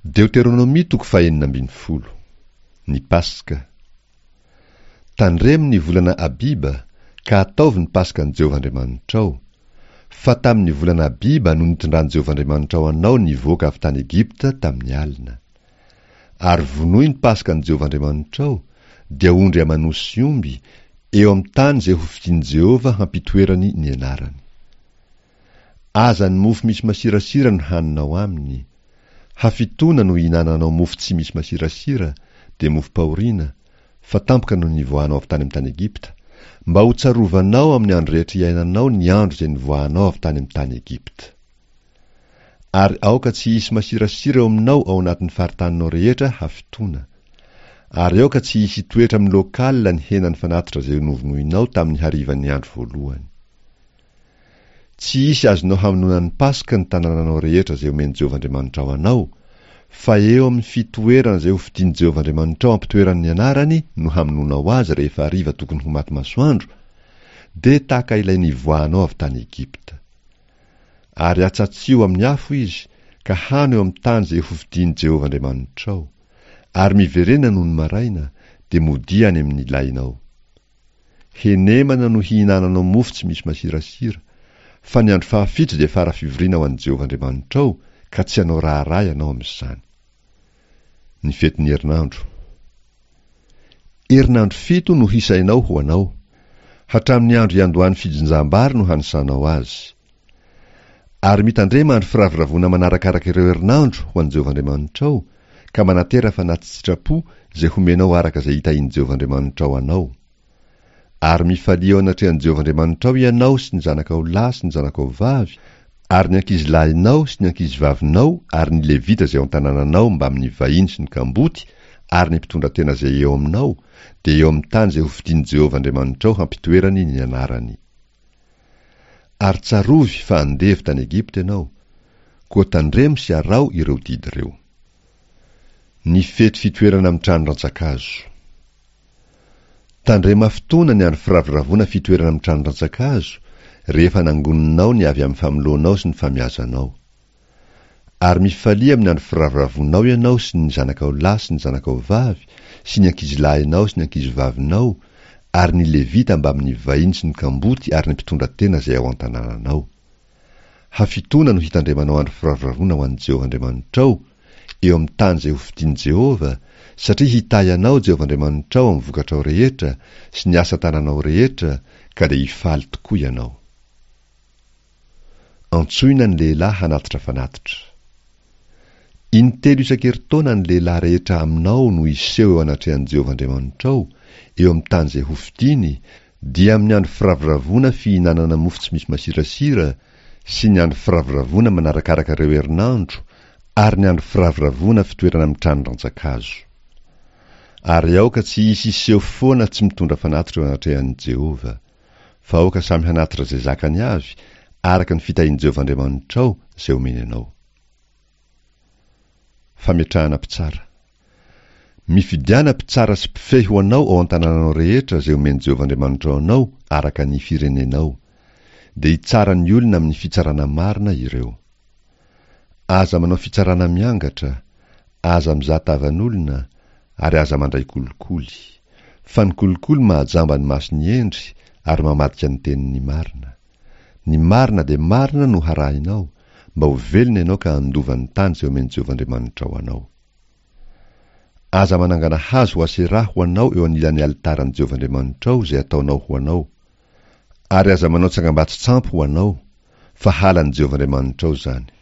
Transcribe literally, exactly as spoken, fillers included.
Deoteronomia toko fahenina ambin'ny folo. Ny Paska. Tandremo ny volana Abiba, ka ataovy ny Paskan'i Jehovah Andriamanitrao. Fa tamin'ny volana Abiba no nitondran'i Jehovah Andriamanitrao anao nivoaka avy tany Egypta tamin'ny alina. Ary vonoy ny Paskan'i Jehovah Andriamanitrao, dia ondry aman'osy sy omby, eo amin'ny tany izay hofidin'i Jehovah hampitoerany ny anarany. Aza ny mofo misy masirasira no haninao aminy. Hafitoana no ihinananao mofo tsy misy masirasira, dia mofom-pahoriana, fa tampoka no nivoahanao avy tany amin'ny tany Egypta, mba ho tsarovanao amin'ny andro rehetra iainanao ny andro izay nivoahanao avy tany amin'ny tany Egypta. Ary aoka tsy hisy masirasira eo aminao ao anatin'ny faritaninao rehetra hafitoana. Ary aoka tsy hisy hitoetra amin'ny local ny henan'ny fanatitra izay novonoinao tamin'ny harivan'ny andro voalohany. Tsy hisy azonao hamonoana ny Paska ny tanànanao rehetra izay omen'i Jehovah Andriamanitrao anao, fa eo amin'ny fitoerana izay hofidin'i Jehovah Andriamanitrao hampitoerany ny anarany no hamonoanao azy rehefa hariva tokony ho maty masoandro, dia tahaka ilay nivoahanao avy tany Egypta. Ary atsatsiho amin'ny afo izy, ka hano eo amin'ny tany izay hofidin'i Jehovah Andriamanitrao. Ary miverena nony maraina, dia modia any amin'ny lainao. Henemana no hihinananao mofo tsy misy masirasira, fa ny andro fahafito dia fara fivoriana ho an'i Jehovah Andriamanitrao, ka tsy hanao raharaha ianao amin'izany. Ny fetin'ny herinandro. Herinandro fito no hisainao ho anao. Hatramin'ny andro iandohan'ny fijinjam-bary no hanisanao azy. Ary mitandrema andro firavoravoana manarakaraka ireo herinandro ho an'i Jehovah Andriamanitrao, ka manatera fanati-tsitrapo izay homenao araka izay hitahian'i Jehovah Andriamanitrao anao. Ary mifalia eo anatrehan'i Jehovah Andriamanitrao ianao sy ny zanakao lahy sy ny zanakao vavy, ary ny ankizilahinao sy ny ankizivavinao ary ny Levita izay ao an-tanànanao mbamin'ny vahiny sy ny kamboty ary ny mpitondratena izay eo aminao, dia eo amin'ny tany izay hofidin'i Jehovah Andriamanitrao hampitoerany ny anarany. Ary tsarovy fa andevo tany Egypta ianao, koa tandremo sy araho ireo didy ireo. Ny fety fitoerana amin'ny trano rantsan-kazo. Tandrema fotoana ny andro firavoravoana fitoerana amin'ny trano rantsan-kazo, rehefa nangoninao ny avy amin'ny famoloanao sy ny famiazanao. Ary mifalia amin'ny andro firavoravoanao ianao sy ny zanakao lahy sy ny zanakao vavy, sy ny ankizilahinao sy ny ankizivavinao, ary ny Levita mbamin'ny vahiny sy ny kamboty ary ny mpitondra tena izay ao an-tanànanao. Hafitoana no hitandremanao andro firavoravoana ho an'i Jehovah Andriamanitrao, eo amin'ny tany izay hofidin'i Jehovah, satria hitahy anao Jehovah Andriamanitrao amin'ny vokatrao rehetra sy ny asa tananao rehetra, ka dia hifaly tokoa ianao. Antsoina ny lehilahy hanatitra fanatitra. Intelo isan-kerintaona ny lehilahy rehetra aminao no hiseho eo anatrehan'i Jehovah Andriamanitrao, eo amin'ny tany izay hofidiny, dia amin'ny andro firavoravoana fihinanana mofo tsy misy masirasira sy ny andro firavoravoana manarakaraka ireo herinandro ary ny andro firavoravoana fitoerana amin'ny trano rantsan-kazo. Ary aoka tsy hisy hiseho foana tsy mitondra fanatitra eo anatrehan'i Jehovah, fa aoka samy hanatitra izay zakany avy, araka ny fitahian'i Jehovah Andriamanitrao izay omeny anao. Fametrahana mpitsara. Mifidiana mpitsara sy mpifehy ho anao ao an-tanànanao rehetra izay omen'i Jehovah Andriamanitrao anao araka ny firenenao. Dia hitsara ny olona amin'ny fitsarana marina ireo. Aza manao fitsarana miangatra, aza mizaha tavan'olona, ary aza mandray kolikoly. Fa ny kolikoly mahajamba ny mason'ny hendry ary mamadika ny tenin'ny marina. Ny marina dia marina no harahinao, mba ho velona ianao ka handova ny tany izay omen'i Jehovah Andriamanitrao anao. Aza manangana hazo ho Aseraha ho anao eo anilan'ny alitaran'i Jehovah Andriamanitrao izay ataonao ho anao. Ary aza manao tsangambato-tsampy ho anao, fa halan'i Jehovah Andriamanitrao izany.